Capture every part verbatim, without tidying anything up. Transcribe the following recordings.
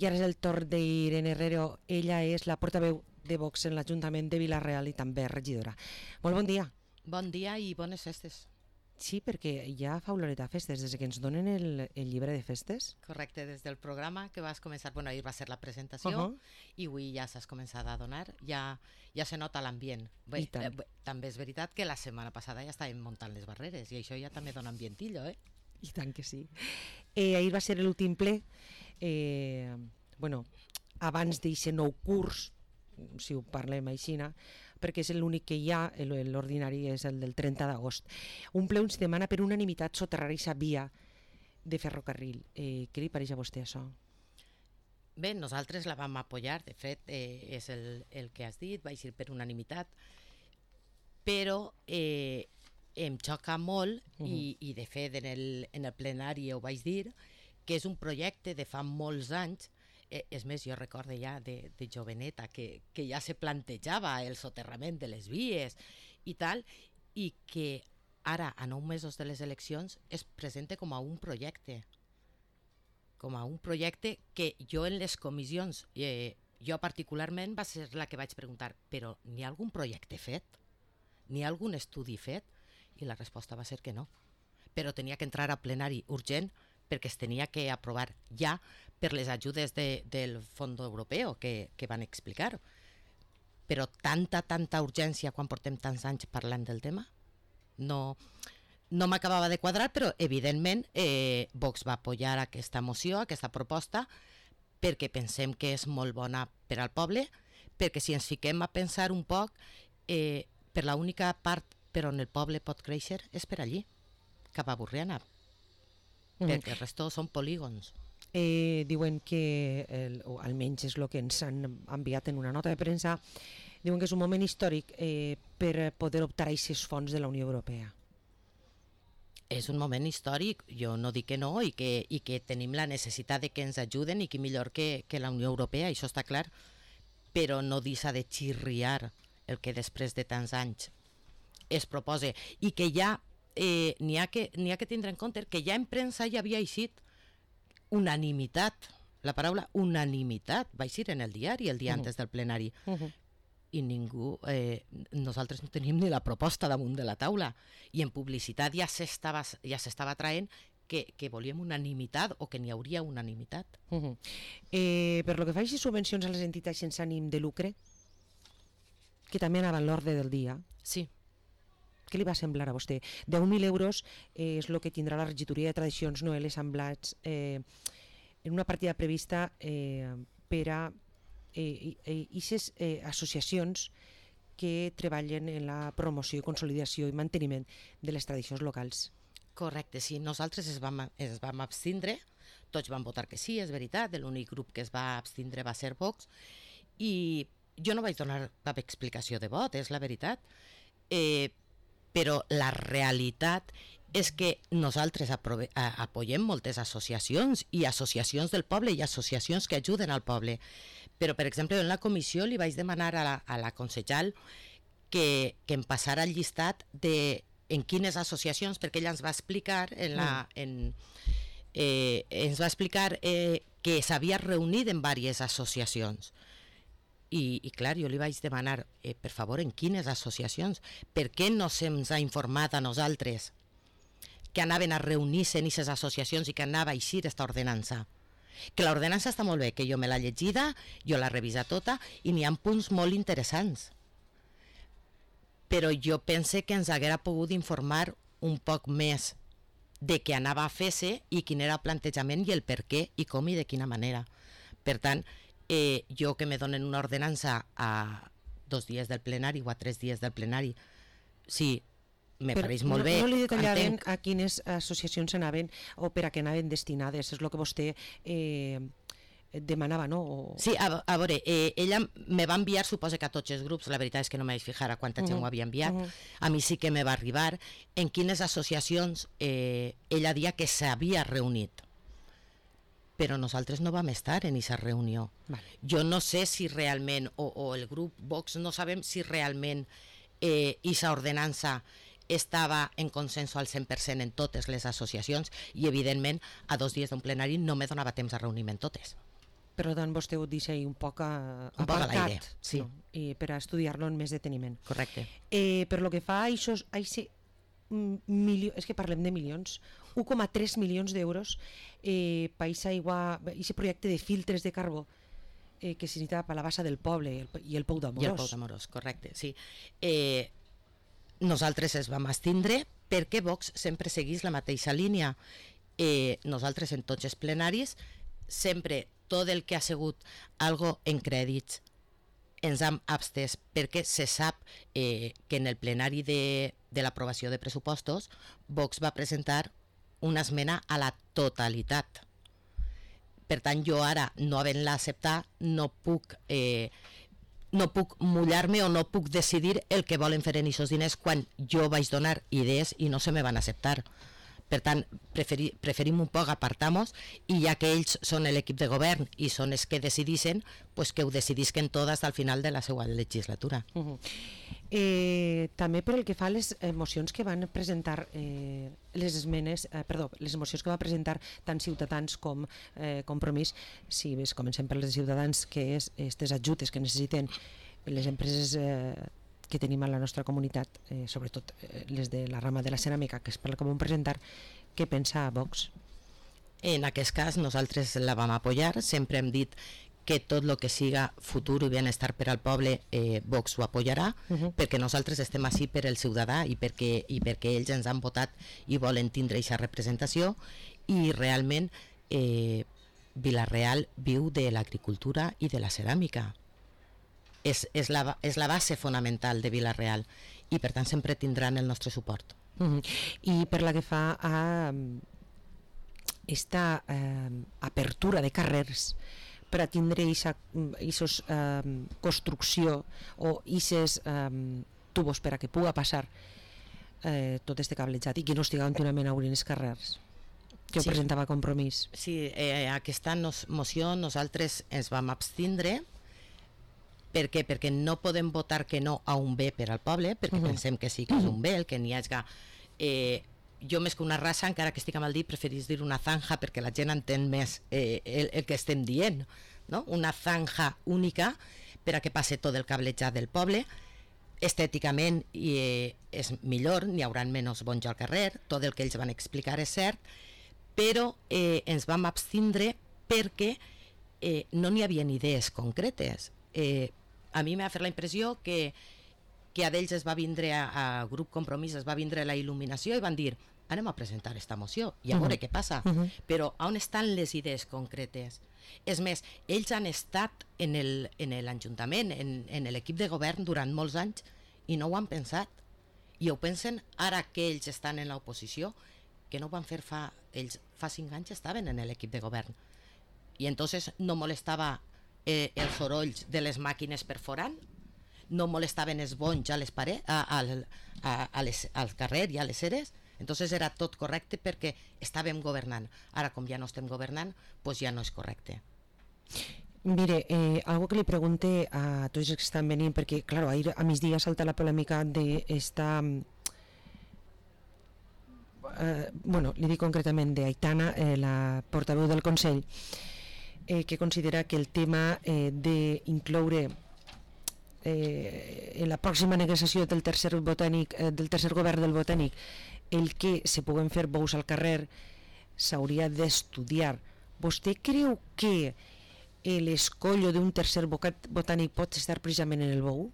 I ara és el torn d'Irene Herrero. Ella és la portaveu de Vox en l'Ajuntament de Vila-real i també regidora. Molt bon dia. Bon dia i bones festes. Sí, perquè ja fa oloreta a festes, des que ens donen el, el llibre de festes. Correcte, des del programa que vas començar, bueno, ahir va ser la presentació, uh -huh. i avui ja s'has començat a donar, ja, ja se nota l'ambient. Bé, eh, bé, també és veritat que la setmana passada ja estàvem muntant les barreres i això ja també dona ambientillo, eh? I tant que sí. Eh, ahir va ser l'últim ple, eh, bueno, abans d'aquest nou curs, si ho parlem així, perquè és l'únic que hi ha, l'ordinari és el del trenta d'agost. Un ple on es demana per unanimitat soterrar aquesta via de ferrocarril. Eh, què li pareix a vostè això? Bé, nosaltres la vam apoyar, de fet, eh, és el, el que has dit, va ser per unanimitat, però eh, em xoca molt, uh -huh. i, i de fet en el, en el plenari ho vaig dir, que és un projecte de fa molts anys. Eh, és més, jo recordo ja de, de joveneta que, que ja se plantejava el soterrament de les vies i tal, i que ara, a nou mesos de les eleccions, es presenta com a un projecte. Com a un projecte que jo en les comissions, eh, jo particularment va ser la que vaig preguntar, però n'hi ha algun projecte fet? N'hi ha algun estudi fet? I la resposta va ser que no. Però tenia que entrar a plenari urgent perquè es tenia que aprovar ja per les ajudes de, del Fons Europeu que, que van explicar. Però tanta, tanta urgència quan portem tants anys parlant del tema, no, no m'acabava de quadrar, però evidentment eh, Vox va apoyar aquesta moció, aquesta proposta, perquè pensem que és molt bona per al poble, perquè si ens fiquem a pensar un poc, eh, per l'única part per on el poble pot créixer és per allí, cap a Borriana, mm. perquè el resto són polígons. Eh, diuen que, el, o almenys és el que ens han enviat en una nota de premsa, diuen que és un moment històric eh, per poder optar a aquests fons de la Unió Europea. És un moment històric, jo no dic que no, i que, i que tenim la necessitat de que ens ajuden, i que millor que, que la Unió Europea, això està clar, però no deixa de xirriar el que després de tants anys es proposa, i que ja eh, n'hi ha que, n'hi ha que tindre en compte que ja en premsa ja havia eixit unanimitat, la paraula unanimitat va eixir en el diari el dia uh -huh. antes del plenari, uh -huh. i ningú, eh, nosaltres no teníem ni la proposta damunt de la taula, i en publicitat ja s'estava ja s'estava traient que, que volíem unanimitat o que n'hi hauria unanimitat. Uh -huh. eh, per lo que fa a subvencions a les entitats sense ànim de lucre, que també anava en l'ordre del dia, sí. Què li va semblar a vostè? deu mil euros eh, és el que tindrà la regidoria de tradicions Noel Assemblats eh, en una partida prevista eh, per a aquestes eh, eh, associacions que treballen en la promoció, consolidació i manteniment de les tradicions locals. Correcte, sí, nosaltres es vam, es vam abstindre, tots vam votar que sí, és veritat, l'únic grup que es va abstindre va ser Vox, i jo no vaig donar cap explicació de vot, és la veritat, eh, però la realitat és que nosaltres aprove, a, apoyem moltes associacions i associacions del poble i associacions que ajuden al poble, però per exemple en la comissió li vaig demanar a la, a la consellal que, que em passara el llistat de en quines associacions, perquè ella ens va explicar en la, en, eh, ens va explicar eh, que s'havia reunit en diverses associacions. I, i clar, jo li vaig demanar, eh, per favor, en quines associacions? Per què no se'ns ha informat a nosaltres que anaven a reunir-se en aquestes associacions i que anava a eixir aquesta ordenança? Que l'ordenança està molt bé, que jo me l'he llegida, jo l'he revisat tota, i n'hi ha punts molt interessants. Però jo pense que ens haguera pogut informar un poc més de què anava a fer-se i quin era el plantejament i el per què i com i de quina manera. Per tant, Eh, jo que me donen una ordenança a dos dies del plenari o a tres dies del plenari, sí, me però pareix molt no, bé. No li detallaven entenc a quines associacions anaven o per a què anaven destinades, és el que vostè eh, demanava, no? O... Sí, a, a veure, eh, ella me va enviar, suposa que a tots els grups, la veritat és que no me vaig fijar a quanta gent uh -huh. ho havia enviat, uh -huh. a mi sí que me va arribar en quines associacions eh, ella dia que s'havia reunit. Però nosaltres no vam estar en aquesta reunió. Vale. Jo no sé si realment, o, o el grup Vox no sabem si realment eh, aquesta ordenança estava en consenso al cent per cent en totes les associacions i, evidentment, a dos dies d'un plenari no me donava temps a reunir-me en totes. Per tant, vostè ho deixa un poc a, un poc a l'aire, sí. No? I per a estudiar-lo amb més deteniment. Correcte. Eh, per lo que fa a això, a ese, milió, és que parlem de milions, un coma tres milions d'euros eh, per aquest projecte de filtres de carbó eh, que se necessita per la bassa del poble i el, i el Pou d'Amorós. I el Pou d'Amorós, correcte, sí. Eh, nosaltres es vam abstindre perquè Vox sempre seguís la mateixa línia. Eh, nosaltres en tots els plenaris sempre tot el que ha sigut algo en crèdits ens hem abstès perquè se sap eh, que en el plenari de, de l'aprovació de pressupostos Vox va presentar una esmena a la totalitat. Per tant, jo ara, no havent-la acceptat, no puc, eh, no puc mullar-me o no puc decidir el que volen fer en aquests diners quan jo vaig donar idees i no se me van acceptar. Per tant, preferi, preferim un poc apartar-nos i ja que ells són l'equip de govern i són els que decidissin, pues que ho decidisquen totes al final de la seva legislatura. Uh -huh. eh, també per el que fa a les mocions que van presentar eh, les esmenes, eh, perdó, les mocions que va presentar tant Ciutadans com eh, Compromís, si ves, comencem per les de Ciutadans, que és aquestes ajutes que necessiten les empreses eh, que tenim a la nostra comunitat, eh, sobretot eh, les de la rama de la ceràmica, que és per la que vam presentar. Què pensa Vox? En aquest cas nosaltres la vam apoyar, sempre hem dit que tot el que siga futur i benestar per al poble eh, Vox ho apoyarà, uh -huh. perquè nosaltres estem així per el ciutadà i perquè, i perquè ells ens han votat i volen tindre aquesta representació, i realment eh, Vila-real viu de l'agricultura i de la ceràmica. És, és, la, és la base fonamental de Vila-real i per tant sempre tindran el nostre suport. Uh-huh. I per la que fa a esta eh, apertura de carrers per a tindre aquesta eh, construcció o aquests eh, tubos per a que puga passar eh, tot este cablejat i que no estigui continuament a obrir els carrers, que ho sí. presentava Compromís. Sí, eh, aquesta nos, moció nosaltres ens vam abstindre. Per què? Perquè no podem votar que no a un bé per al poble, perquè uh-huh. pensem que sí que és un bé, el que n'hi hagi... Eh, jo més que una raça, encara que estic mal dit, preferís dir una zanja perquè la gent entén més eh, el, el que estem dient, no? Una zanja única per a que passe tot el cablejat del poble. Estèticament eh, és millor, n'hi haurà menys bonys al carrer, tot el que ells van explicar és cert, però eh, ens vam abstindre perquè eh, no n'hi havia idees concretes. Eh, a mi m'ha fet la impressió que, que a d'ells es va vindre a, a Grup Compromís, es va vindre la il·luminació i van dir, anem a presentar esta moció i a veure uh -huh. què passa. Uh -huh. Però on estan les idees concretes? És més, ells han estat en l'Ajuntament, en, en l'equip de govern durant molts anys i no ho han pensat. I ho pensen ara que ells estan en l'oposició, que no ho van fer fa... Ells fa cinc anys estaven en l'equip de govern. I entonces no molestava eh, els sorolls de les màquines perforant, no molestaven els bonys a les parets, a, a, a, a les, al carrer i a les eres. Entonces era tot correcte perquè estàvem governant. Ara, com ja no estem governant, pues ja no és correcte. Mire, eh, algo que li pregunte a tots els que estan venint, perquè, claro, ahir a migdia salta la polèmica d'esta... Eh, bueno, li dic concretament d'Aitana, eh, la portaveu del Consell, eh, que considera que el tema eh, d'incloure eh, en la pròxima negociació del tercer botànic, eh, del tercer govern del botànic, el que se puguen fer bous al carrer s'hauria d'estudiar. Vostè creu que l'escollo d'un tercer botànic pot estar precisament en el bou?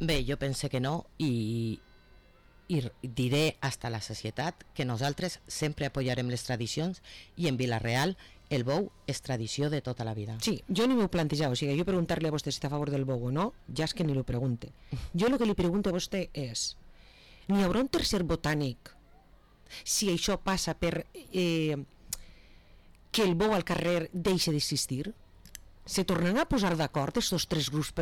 Bé, jo pense que no, i, i diré hasta la societat que nosaltres sempre apoyarem les tradicions, i en Vila-real el bou és tradició de tota la vida. Sí, jo ni m'ho plantejava, o sigui, jo preguntar-li a vostè si està a favor del bou o no, ja és que ni lo pregunte. Jo el que li pregunto a vostè és, n'hi haurà un tercer botànic si això passa per eh, que el bou al carrer deixi d'existir? Se tornaran a posar d'acord aquests tres grups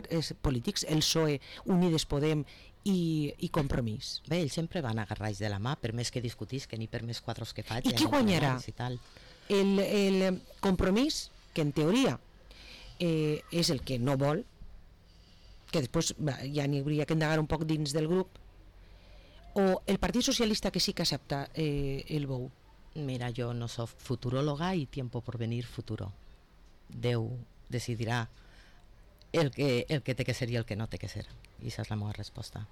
polítics, el P S O E, Unides Podem i, i Compromís? Bé, ells sempre van agarrats de la mà, per més que discutisquen i per més quadros que faig. I qui guanyarà? El, el Compromís, que en teoria eh, és el que no vol, que després ja n'hi hauria que indagar un poc dins del grup, o el Partit Socialista que sí que accepta eh, el bou? Mira, yo no soy futuróloga y tiempo por venir futuro. Déu decidirà el que, el que té que ser i el que no té que ser. I aquesta és la meva resposta.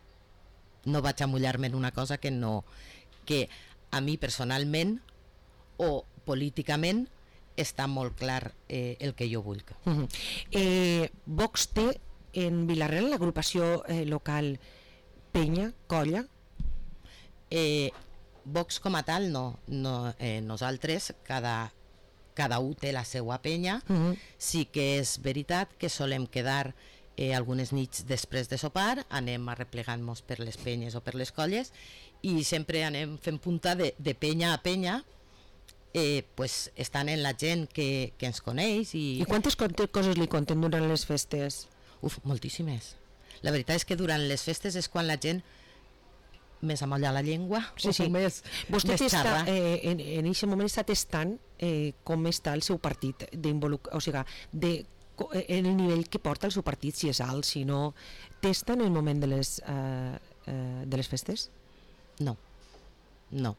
No vaig a mullar-me en una cosa que no, que a mi personalment o políticament està molt clar eh, el que jo vull. Uh-huh. eh, Vox té en Vila-real l'agrupació eh, local Penya, Colla? Eh, Vox com a tal no, no eh, nosaltres cada, cada un té la seva penya. Uh-huh. Sí que és veritat que solem quedar eh, algunes nits després de sopar, anem arreplegant-nos per les penyes o per les colles i sempre anem fent punta de, de penya a penya, eh, pues, estan en la gent que, que ens coneix. I, I quantes coses li conten durant les festes? Uf, moltíssimes. La veritat és que durant les festes és quan la gent més amolla la llengua, sí, sí. més, Vostè més està, xarra. Eh, en, en aquest moment està testant eh, com està el seu partit, o sigui, de, en el nivell que porta el seu partit, si és alt, si no. Testa en el moment de les, eh, eh, de les festes? No, no.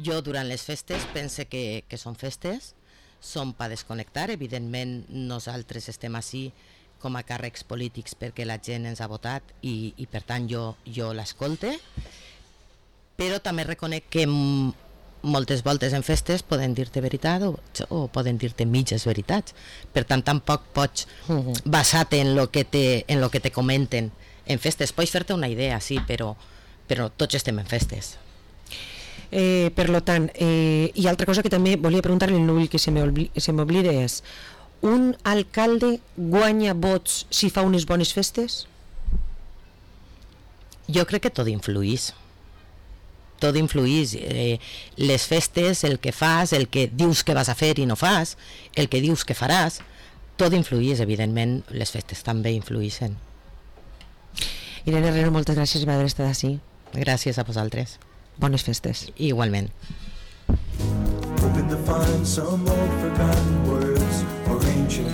Jo durant les festes pense que, que són festes, són per desconnectar. Evidentment nosaltres estem ací com a càrrecs polítics perquè la gent ens ha votat i, i per tant jo, jo l'escolte, però també reconec que m- moltes voltes en festes poden dir-te veritat o, o poden dir-te mitges veritats. Per tant, tampoc pots uh-huh. basar-te en lo que te, en lo que te comenten en festes. Pots fer-te una idea, sí, però, però tots estem en festes. Eh, per lo tant, eh, i altra cosa que també volia preguntar-li, no vull que se m'oblide, és: un alcalde guanya vots si fa unes bones festes? Jo crec que tot influís. Tot influís. Eh, les festes, el que fas, el que dius que vas a fer i no fas, el que dius que faràs, tot influís, evidentment, les festes també influïssin. Irene Herrero, moltes gràcies per haver estat ací. Gràcies a vosaltres. Bones festes. Igualment. Hoping to find some old forgotten words or ancient